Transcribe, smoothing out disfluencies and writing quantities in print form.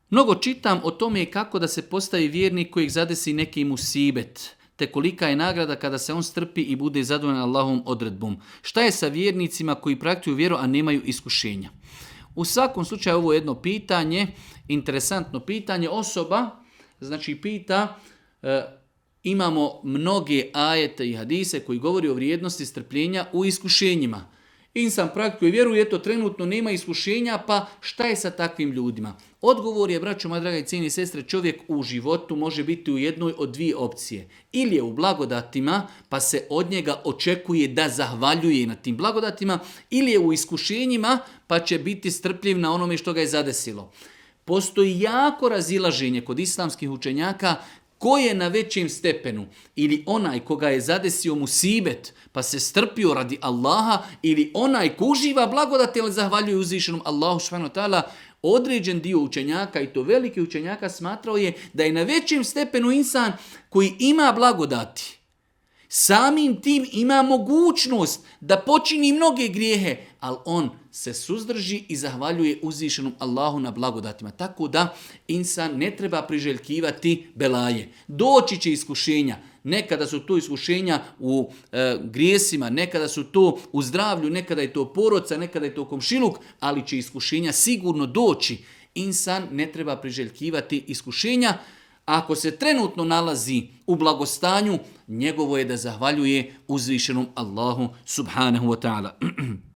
Mnogo čitam o tome kako da se postavi vjernik kojeg zadesi neki musibet, te kolika je nagrada kada se on strpi i bude zadovoljan Allahovom odredbom. Šta je sa vjernicima koji praktikuju vjeru, a nemaju iskušenja? U svakom slučaju ovo je jedno pitanje, interesantno pitanje. Osoba, znači pita, imamo mnoge ajete i hadise koji govori o vrijednosti strpljenja u iskušenjima. Insan praktikuje vjeru i eto trenutno nema iskušenja, pa šta je sa takvim ljudima? Odgovor je, braćo moja draga i cijeni sestre, čovjek u životu može biti u jednoj od dvije opcije. Ili je u blagodatima, pa se od njega očekuje da zahvaljuje na tim blagodatima, ili je u iskušenjima, pa će biti strpljiv na onome što ga je zadesilo. Postoji jako razilaženje kod islamskih učenjaka ko je na većem stepenu, ili onaj koga je zadesio musibet, pa se strpio radi Allaha, ili onaj ko uživa blagodati, ali zahvaljuje uzvišenom Allahu subhanahu wa ta'ala. Određen dio učenjaka, i to veliki učenjaka, smatrao je da je na većem stepenu insan koji ima blagodati. Samim tim ima mogućnost da počini mnoge grijehe, ali on se suzdrži i zahvaljuje uzvišenom Allahu na blagodatima. Tako da insan ne treba priželjkivati belaje. Doći će iskušenja. Nekada su to iskušenja u grijesima, nekada su to u zdravlju, nekada je to porodca, nekada je to komšiluk, ali će iskušenja sigurno doći. Insan ne treba priželjkivati iskušenja. Ako se trenutno nalazi u blagostanju, njegovo je da zahvaljuje uzvišenom Allahu subhanahu wa ta'ala.